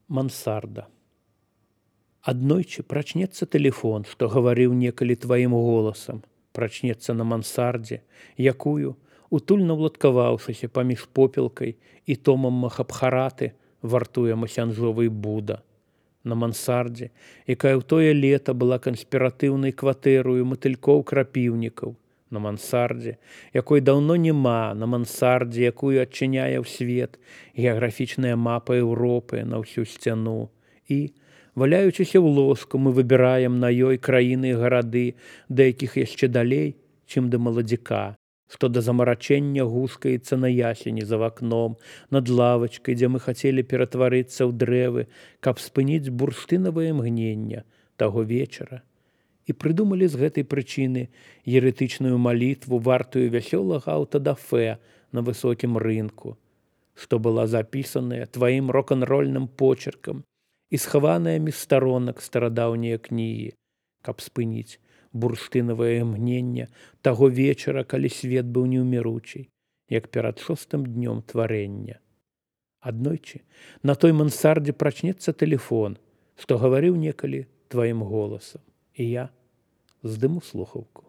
Мансарда. Аднойчы прачнецца тэлефон, што гаварыў некалі тваім голасам, прачнецца на мансардзе, якую, утульна ўладкаваўшыся паміж попелкай і томам Махабхараты, вартуе масянжовый Буда. На мансардзе, якая ў тое лета была канспіратыўнай кватэрою матылькоў-крапіўнікаў, на мансардзе, якой даўно няма, на мансардзе, якую адчыняе ў свет геаграфічная мапа Еўропы на ўсю сцяну. І, валяючыся ў ложку, мы выбіраем на ёй краіны і гарады, да якіх яшчэ далей, чым да маладзіка, што да замарачэння гускаецца на ясені за вакном, над лавачкай, дзе мы хацелі ператварыцца ў дрэвы, каб спыніць бурштынавае мгнення таго вечара. І прыдумалі з гэтай прычыны еретычную малітву, вартую вясёлага аўтадафэ на высокім рынку, што была запісаная тваім рок-н-рольным почеркам і схаваная між старонак старадаўнія кнігі, каб спыніць бурштынавае мгнення таго вечара, калі свет быў неўміручий, як перад 6-м днём тварэння. Аднойчы на той мансардзе прачнецца тэлефон, што гаварыў некалі тваім голасам, і я здыму слухаўку.